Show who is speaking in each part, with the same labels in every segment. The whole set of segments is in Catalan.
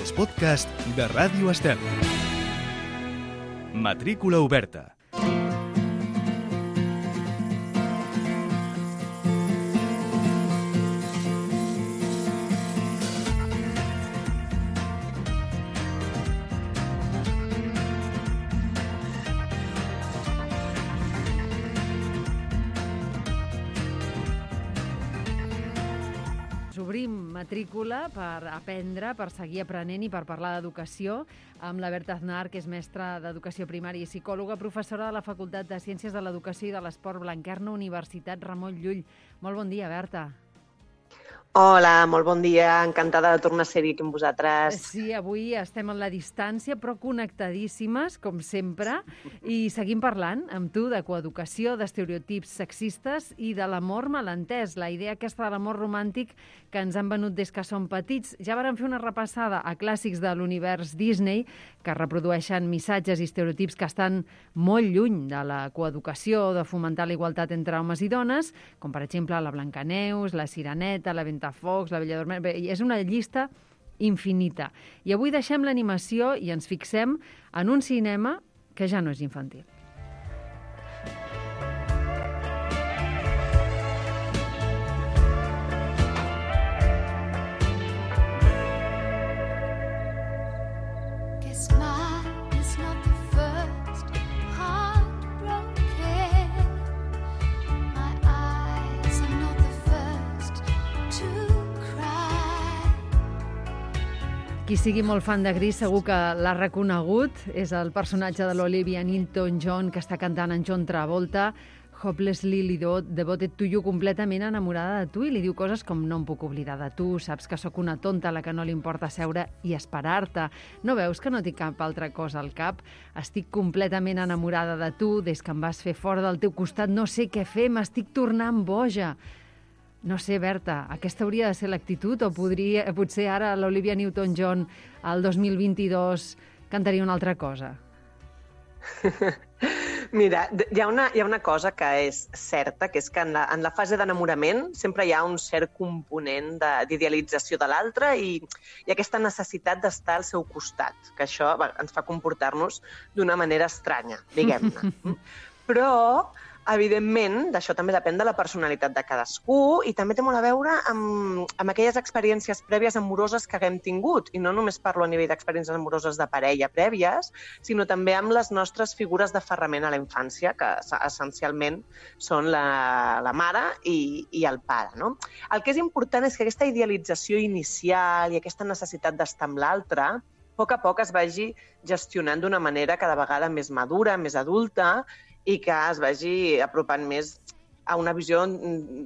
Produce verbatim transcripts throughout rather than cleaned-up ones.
Speaker 1: els podcasts de Ràdio Estel. Matrícula oberta.
Speaker 2: Obrim matrícula per aprendre, per seguir aprenent i per parlar d'educació amb la Berta Aznar, que és mestra d'Educació Primària i psicòloga, professora de la Facultat de Ciències de l'Educació i de l'Esport Blanquerna, Universitat Ramon Llull. Molt bon dia, Berta.
Speaker 3: Hola, molt bon dia. Encantada de tornar a ser-hi aquí amb vosaltres.
Speaker 2: Sí, avui estem en la distància, però connectadíssimes, com sempre, i seguim parlant amb tu de coeducació, d'estereotips sexistes i de l'amor malentès, la idea aquesta de l'amor romàntic que ens han venut des que som petits. Ja vàrem fer una repassada a clàssics de l'univers Disney que reprodueixen missatges i estereotips que estan molt lluny de la coeducació, de fomentar la igualtat entre homes i dones, com per exemple la Blancaneus, la Sireneta, la Ventafocs, la Bella Dorment... Bé, és una llista infinita. I avui deixem l'animació i ens fixem en un cinema que ja no és infantil. Qui sigui molt fan de Gris segur que l'ha reconegut. És el personatge de l'Olivia Newton-John que està cantant en John Travolta, Hopelessly Devoted to You, completament enamorada de tu, i li diu coses com: no em puc oblidar de tu, saps que sóc una tonta a la que no li importa seure i esperar-te. No veus que no tinc cap altra cosa al cap? Estic completament enamorada de tu, des que em vas fer fora del teu costat no sé què fer, m'estic tornant boja. No sé, Berta, aquesta hauria de ser l'actitud o podria, potser ara l'Olivia Newton-John al dos mil vint-i-dos cantaria una altra cosa?
Speaker 3: Mira, hi ha, una, hi ha una cosa que és certa, que és que en la, en la fase d'enamorament sempre hi ha un cert component d'idealització de l'altre i, i aquesta necessitat d'estar al seu costat, que això va, ens fa comportar-nos d'una manera estranya, diguem-ne. Però, evidentment, d'això també depèn de la personalitat de cadascú i també té molt a veure amb, amb aquelles experiències prèvies amoroses que haguem tingut. I no només parlo a nivell d'experiències amoroses de parella prèvies, sinó també amb les nostres figures d'aferrament a la infància, que essencialment són la, la mare i, i el pare, no? El que és important és que aquesta idealització inicial i aquesta necessitat d'estar amb l'altre, a poc a poc es vagi gestionant d'una manera cada vegada més madura, més adulta, i que es vagi apropant més a una visió,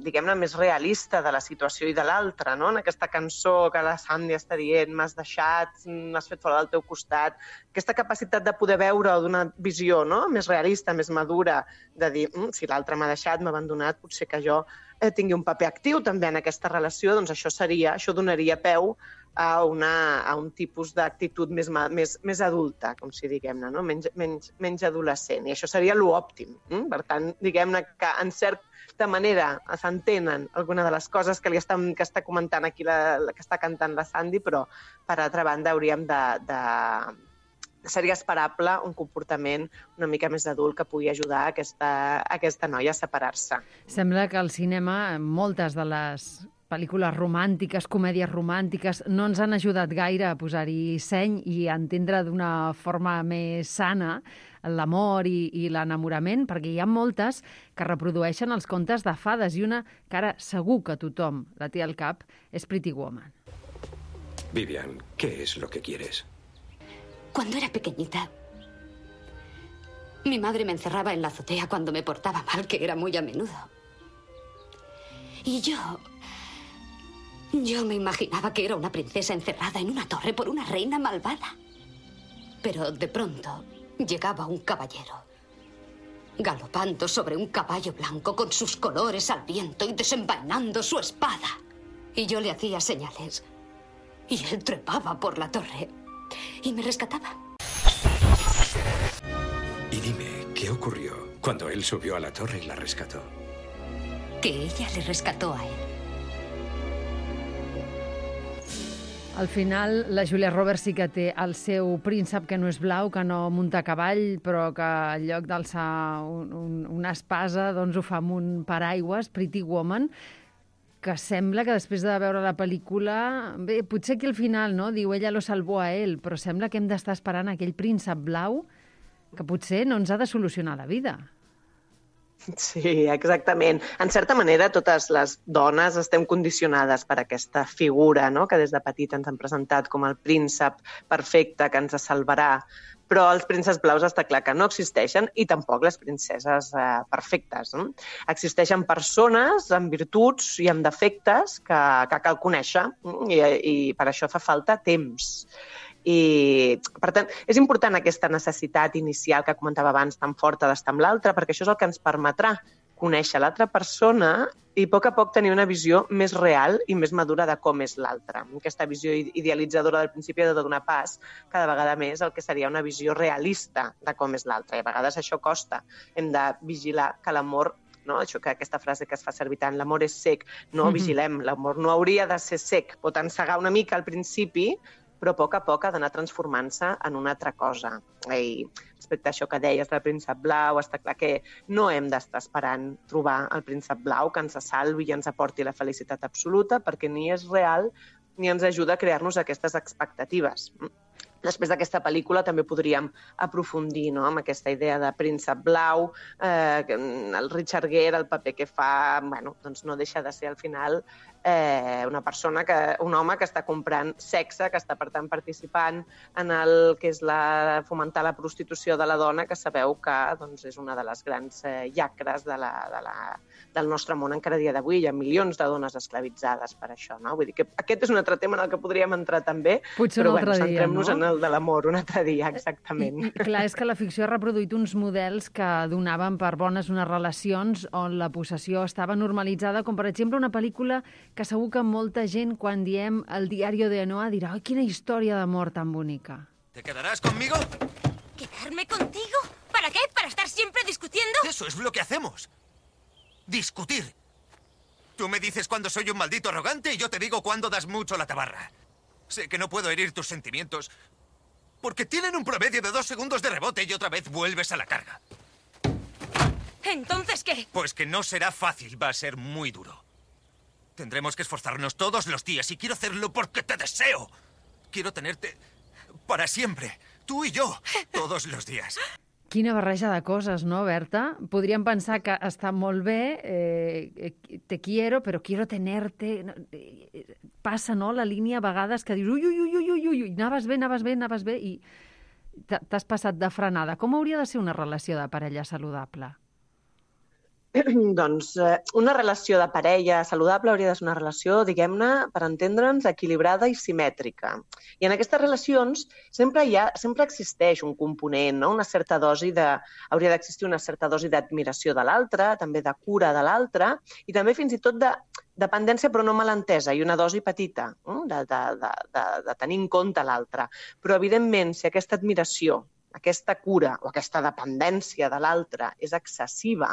Speaker 3: diguem-ne, més realista de la situació i de l'altre, no? En aquesta cançó que la Sandy està dient, m'has deixat, m'has fet fora del teu costat, aquesta capacitat de poder veure d'una visió, no?, més realista, més madura, de dir, mm, si l'altre m'ha deixat, m'ha abandonat, potser que jo eh, tingui un paper actiu també en aquesta relació, doncs això seria, això donaria peu a, una, a un tipus d'actitud més, més, més adulta, com si diguem-ne, no? menys, menys, menys adolescent. I això seria l'òptim. Mm? Per tant, diguem-ne que en certa manera s'entenen alguna de les coses que, li estan, que està comentant aquí, la, la, que està cantant la Sandy, però per altra banda hauríem de... de seria esperable un comportament una mica més adult que pugui ajudar a aquesta, a aquesta noia a separar-se.
Speaker 2: Sembla que al cinema moltes de les pel·lícules romàntiques, comèdies romàntiques, no ens han ajudat gaire a posar-hi seny i a entendre d'una forma més sana l'amor i, i l'enamorament, perquè hi ha moltes que reprodueixen els contes de fades i una que ara segur que tothom la té al cap és Pretty Woman.
Speaker 4: Vivian, ¿qué es lo que quieres?
Speaker 5: Cuando era pequeñita, mi madre me encerraba en la azotea cuando me portaba mal, que era muy a menudo. Y yo... Yo me imaginaba que era una princesa encerrada en una torre por una reina malvada. Pero de pronto llegaba un caballero, galopando sobre un caballo blanco con sus colores al viento y desenvainando su espada. Y yo le hacía señales. Y él trepaba por la torre y me rescataba.
Speaker 4: Y dime, ¿qué ocurrió cuando él subió a la torre y la rescató?
Speaker 5: Que ella le rescató a él.
Speaker 2: Al final, la Julia Roberts sí que té el seu príncep que no és blau, que no munta a cavall, però que en lloc d'alçar un, un, una espasa doncs ho fa amb un paraigües, Pretty Woman, que sembla que després de veure la pel·lícula... Bé, potser que al final, no?, diu ella lo salvó a ell, però sembla que hem d'estar esperant aquell príncep blau que potser no ens ha de solucionar la vida.
Speaker 3: Sí, exactament. En certa manera, totes les dones estem condicionades per aquesta figura, no?, que des de petit ens han presentat com el príncep perfecte que ens salvarà, però els prínceps blaus està clar que no existeixen i tampoc les princeses eh, perfectes. No? Existeixen persones amb virtuts i amb defectes que, que cal conèixer i, i per això fa falta temps. I, per tant, és important aquesta necessitat inicial que comentava abans, tan forta d'estar amb l'altre, perquè això és el que ens permetrà conèixer l'altra persona i a poc a poc tenir una visió més real i més madura de com és l'altre. Aquesta visió idealitzadora del principi ha de donar pas cada vegada més al que seria una visió realista de com és l'altre. I a vegades això costa. Hem de vigilar que l'amor, no? Això que aquesta frase que es fa servir tant, l'amor és sec, no mm-hmm. vigilem, l'amor no hauria de ser sec, pot encegar una mica al principi, però a poc a poc ha d'anar transformant-se en una altra cosa. I respecte a això que deies del príncep blau, està clar que no hem d'estar esperant trobar el príncep blau que ens salvi i ens aporti la felicitat absoluta, perquè ni és real ni ens ajuda a crear-nos aquestes expectatives. Després d'aquesta pel·lícula també podríem aprofundir, no?, amb aquesta idea de príncep blau, eh, el Richard Gere, el paper que fa, bueno, doncs no deixa de ser al final eh, una persona, que, un home que està comprant sexe, que està per tant participant en el que és la, fomentar la prostitució de la dona, que sabeu que doncs, és una de les grans eh, llacres de la, de la, del nostre món encara a dia d'avui. Hi ha milions de dones esclavitzades per això, no? Vull dir que aquest és un altre tema en el que podríem entrar també,
Speaker 2: potser
Speaker 3: però
Speaker 2: un altre
Speaker 3: bueno,
Speaker 2: dia,
Speaker 3: centrem-nos
Speaker 2: no?
Speaker 3: en el de l'amor un altre dia, exactament.
Speaker 2: I, i clar, és que la ficció ha reproduït uns models que donaven per bones unes relacions on la possessió estava normalitzada, com per exemple una pel·lícula que segur que molta gent, quan diem El diario de Noah, dirà «Ai, quina història d'amor tan bonica».
Speaker 6: ¿Te quedarás conmigo?
Speaker 7: ¿Quedarme contigo? ¿Para qué? ¿Para estar siempre discutiendo?
Speaker 6: Eso es lo que hacemos. Discutir. Tú me dices cuando soy un maldito arrogante y yo te digo cuando das mucho la tabarra. Sé que no puedo herir tus sentimientos porque tienen un promedio de dos segundos de rebote y otra vez vuelves a la carga.
Speaker 7: ¿Entonces qué?
Speaker 6: Pues que no será fácil, va a ser muy duro. Tendremos que esforzarnos todos los días y quiero hacerlo porque te deseo. Quiero tenerte para siempre, tú y yo, todos los días.
Speaker 2: Quina barreja de coses, no, Berta? Podríem pensar que està molt bé, eh, te quiero, però quiero tenerte... Passa, no?, la línia a vegades que dius ui, ui, ui, ui, ui, ui, anaves bé, anaves bé, anaves bé, i t'has passat de frenada. Com hauria de ser una relació de parella saludable?
Speaker 3: Doncs eh, una relació de parella saludable hauria de ser una relació, diguem-ne, per entendre'ns, equilibrada i simètrica. I en aquestes relacions sempre hi ha, sempre existeix un component, no? Una certa dosi de... Hauria d'existir una certa dosi d'admiració de l'altre, també de cura de l'altre, i també fins i tot de dependència, però no malentesa, i una dosi petita, eh? de, de, de, de, de tenir en compte l'altre. Però, evidentment, si aquesta admiració, aquesta cura o aquesta dependència de l'altre és excessiva,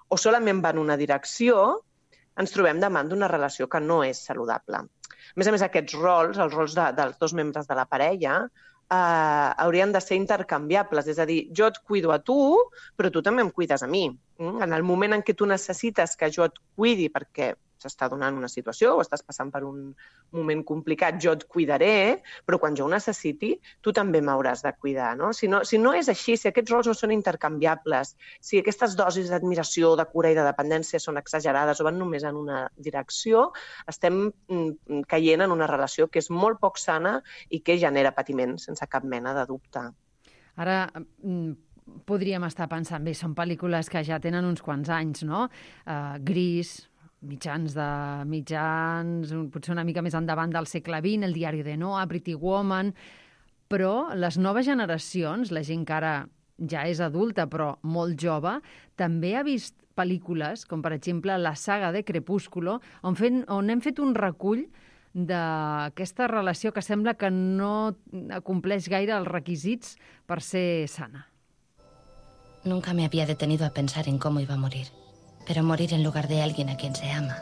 Speaker 3: o solament va en una direcció, ens trobem davant d'una relació que no és saludable. A més a més, aquests rols, els rols de, dels dos membres de la parella, eh, haurien de ser intercanviables. És a dir, jo et cuido a tu, però tu també em cuides a mi. En el moment en què tu necessites que jo et cuidi perquè s'està donant una situació o estàs passant per un moment complicat, jo et cuidaré, però quan jo ho necessiti, tu també m'hauràs de cuidar, no? Si no, si no és així, si aquests rols no són intercanviables, si aquestes dosis d'admiració, de cura i de dependència són exagerades o van només en una direcció, estem caient en una relació que és molt poc sana i que genera patiment, sense cap mena de dubte.
Speaker 2: Ara, podríem estar pensant, bé, són pel·lícules que ja tenen uns quants anys, no? Uh, Gris, mitjans de mitjans, potser una mica més endavant del segle vint, El diari de Noah, Pretty Woman, però les noves generacions, la gent que ara ja és adulta però molt jove, també ha vist pel·lícules, com per exemple la saga de Crepúsculo, on, fent, on hem fet un recull d'aquesta relació que sembla que no compleix gaire els requisits per ser sana.
Speaker 8: Nunca me había detenido a pensar en cómo iba a morir. Pero morir en lugar de alguien a quien se ama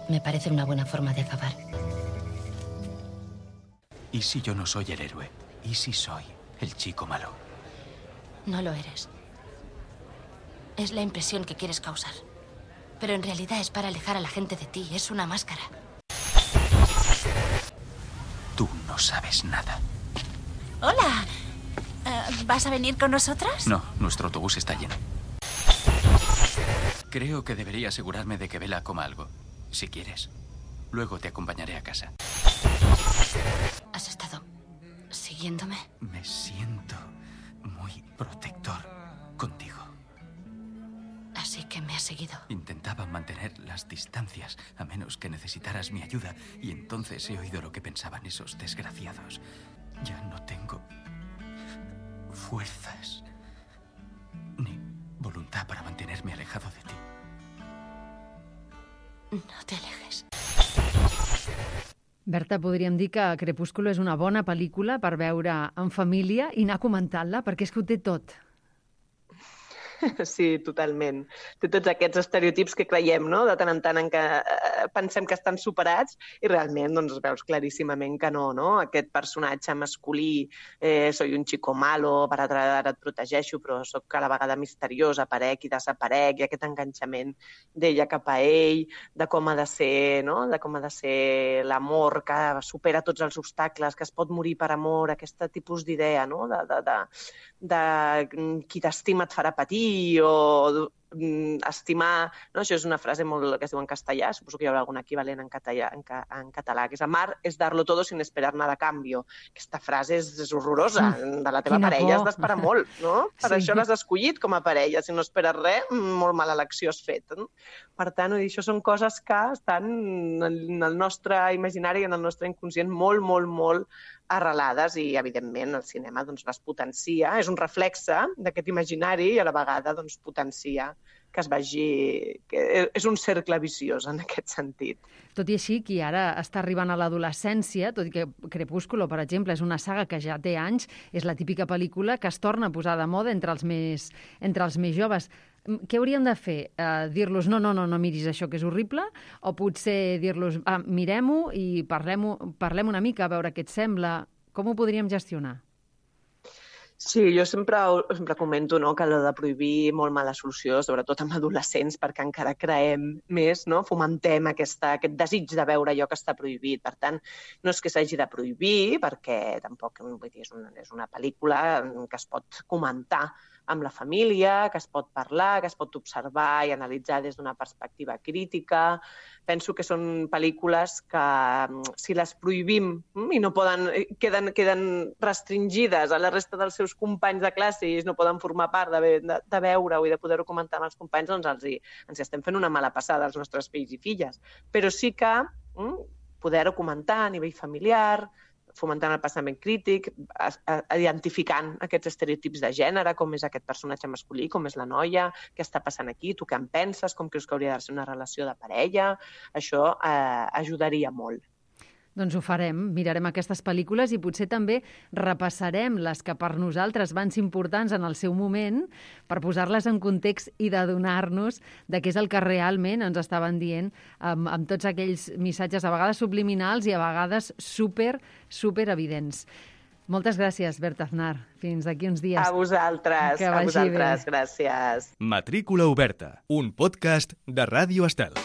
Speaker 8: me parece una buena forma de acabar.
Speaker 9: ¿Y si yo no soy el héroe? ¿Y si soy el chico malo?
Speaker 8: No lo eres. Es la impresión que quieres causar. Pero en realidad es para alejar a la gente de ti. Es una máscara.
Speaker 9: Tú no sabes nada.
Speaker 7: Hola. Uh, ¿Vas a venir con nosotras?
Speaker 9: No, nuestro autobús está lleno. Creo que debería asegurarme de que Bella coma algo. Si quieres. Luego te acompañaré a casa.
Speaker 8: ¿Has estado siguiéndome?
Speaker 9: Me siento muy protector contigo.
Speaker 8: Así que me has seguido.
Speaker 9: Intentaba mantener las distancias, a menos que necesitaras mi ayuda, y entonces he oído lo que pensaban esos desgraciados. Ya no tengo fuerzas ni voluntad para mantenerme alejado de ti.
Speaker 8: No te alejes.
Speaker 2: Berta, podríem dir que Crepúsculo és una bona pel·lícula per veure en família i anar comentant-la, perquè és que ho té tot.
Speaker 3: Sí, totalment. Té tots aquests estereotips que creiem, no?, de tant en tant en què eh, pensem que estan superats i realment doncs, veus claríssimament que no, no? Aquest personatge masculí, eh, soy un chico malo, per ara et protegeixo, però sóc a la vegada misteriós, aparec i desaparec, i aquest enganxament d'ella cap a ell, de com ha de ser, no?, de com ha de ser l'amor, que supera tots els obstacles, que es pot morir per amor, aquest tipus d'idea, no?, de, de, de, de qui t'estima et farà patir, o estimar, no? Això és una frase molt que es diu en castellà, suposo que hi haurà algun equivalent en català, en, ca, en català, que és amar és darlo todo sin esperar nada a cambio. Aquesta frase és, és horrorosa. De la teva
Speaker 2: Quina
Speaker 3: parella
Speaker 2: por.
Speaker 3: has d'esperar molt, no? Per
Speaker 2: Sí.
Speaker 3: això l'has escollit com a parella. Si no esperes res, molt mala elecció has fet. No? Per tant, això són coses que estan en el nostre imaginari i en el nostre inconscient molt, molt, molt arrelades i, evidentment, el cinema doncs, les potencia. És un reflexe d'aquest imaginari i, a la vegada, doncs, potencia que es vegi... Que és un cercle viciós, en aquest sentit.
Speaker 2: Tot i així, qui ara està arribant a l'adolescència, tot i que Crepúsculo, per exemple, és una saga que ja té anys, és la típica pel·lícula que es torna a posar de moda entre els més, entre els més joves. Què hauríem de fer? Uh, dir-los, no, no, no, no miris això, que és horrible? O potser dir-los, ah, mirem-ho i parlem, parlem una mica, a veure què et sembla? Com ho podríem gestionar?
Speaker 3: Sí, jo sempre, sempre comento, no?, que allò de prohibir molt mala solució, sobretot amb adolescents, perquè encara creem més, no?, fomentem aquesta, aquest desig de veure allò que està prohibit. Per tant, no és que s'hagi de prohibir, perquè tampoc vull dir, és, una, és una pel·lícula que es pot comentar amb la família, que es pot parlar, que es pot observar i analitzar des d'una perspectiva crítica. Penso que són pel·lícules que, si les prohibim i no poden, queden, queden restringides a la resta dels seus companys de classe i no poden formar part de, de, de veure-ho i de poder-ho comentar amb els companys, doncs els hi, ens hi estem fent una mala passada als nostres fills i filles. Però sí que mm, poder-ho comentar a nivell familiar, fomentant el pensament crític, identificant aquests estereotips de gènere, com és aquest personatge masculí, com és la noia, què està passant aquí, tu què en penses, com creus que hauria de ser una relació de parella. Això eh, ajudaria molt.
Speaker 2: Doncs ho farem, mirarem aquestes pel·lícules i potser també repassarem les que per nosaltres van ser importants en el seu moment per posar-les en context i d'adonar-nos de què és el que realment ens estaven dient amb, amb tots aquells missatges a vegades subliminals i a vegades super, super evidents. Moltes gràcies, Berta Aznar. Fins d'aquí uns dies.
Speaker 3: A vosaltres, a vosaltres, gràcies.
Speaker 1: Matrícula oberta, un podcast de Ràdio Estel.